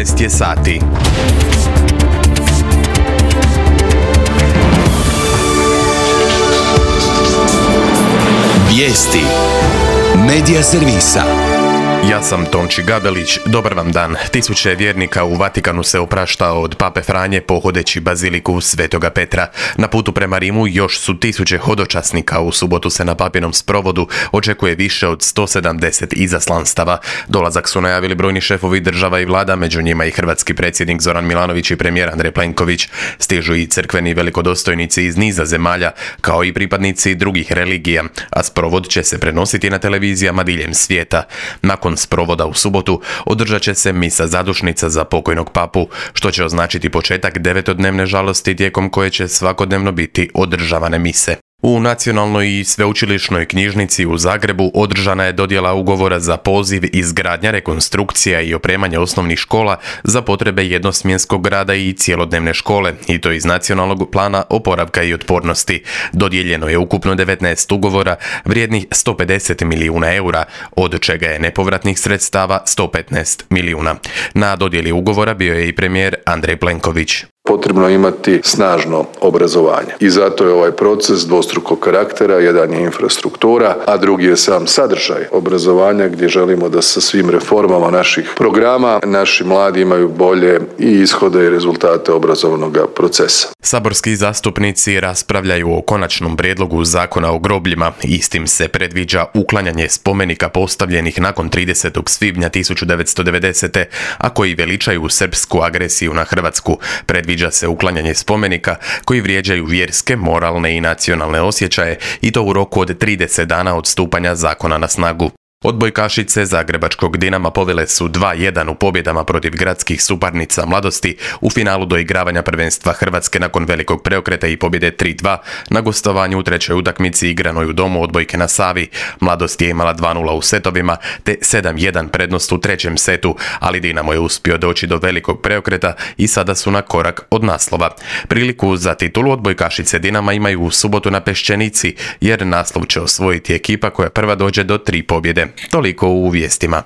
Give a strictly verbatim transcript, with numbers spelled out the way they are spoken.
jedanaest je sati. Vijesti Medija servisa. Ja sam Tonči Gabelić, dobar vam dan. Tisuće vjernika u Vatikanu se oprašta od Pape Franje pohodeći baziliku Svetoga Petra. Na putu prema Rimu još su tisuće hodočasnika. U subotu se na papinom sprovodu očekuje više od sto sedamdeset izaslanstava. Dolazak su najavili brojni šefovi država i vlada, među njima i hrvatski predsjednik Zoran Milanović i premijer Andrej Plenković. Stižu i crkveni velikodostojnici iz niza zemalja, kao i pripadnici drugih religija, a sprovod će se prenositi na televizijama diljem svijeta. Nakon sprovoda u subotu održat će se misa zadušnica za pokojnog papu, što će označiti početak devetodnevne žalosti tijekom koje će svakodnevno biti održavane mise. U Nacionalnoj i sveučilišnoj knjižnici u Zagrebu održana je dodjela ugovora za poziv izgradnja, rekonstrukcija i opremanje osnovnih škola za potrebe jednosmjenskog rada i cjelodnevne škole, i to iz Nacionalnog plana oporavka i otpornosti. Dodijeljeno je ukupno devetnaest ugovora vrijednih sto pedeset milijuna eura, od čega je nepovratnih sredstava sto petnaest milijuna. Na dodjeli ugovora bio je i premijer Andrej Plenković. Potrebno imati snažno obrazovanje i zato je ovaj proces dvostrukog karaktera. Jedan je infrastruktura, a drugi je sam sadržaj obrazovanja, gdje želimo da sa svim reformama naših programa naši mladi imaju bolje i ishode i rezultate obrazovnog procesa. Saborski zastupnici raspravljaju o konačnom prijedlogu zakona o grobljima. Istim se predviđa uklanjanje spomenika postavljenih nakon tridesetog svibnja tisuću devetsto devedesete. a koji veličaju srpsku agresiju na Hrvatsku. Predviđa Predviđa se uklanjanje spomenika koji vrijeđaju vjerske, moralne i nacionalne osjećaje, i to u roku od trideset dana od stupanja zakona na snagu. Odbojkašice zagrebačkog Dinama povele su dva jedan u pobjedama protiv gradskih suparnica Mladosti u finalu doigravanja prvenstva Hrvatske nakon velikog preokreta i pobjede tri dva na gostovanju u trećoj utakmici igranoj u domu Odbojke na Savi. Mladost je imala dva nula u setovima te sedam jedan prednost u trećem setu, ali Dinamo je uspio doći do velikog preokreta i sada su na korak od naslova. Priliku za titulu odbojkašice Dinama imaju u subotu na Peščenici, jer naslov će osvojiti ekipa koja prva dođe do tri pobjede. Toliko u vijestima.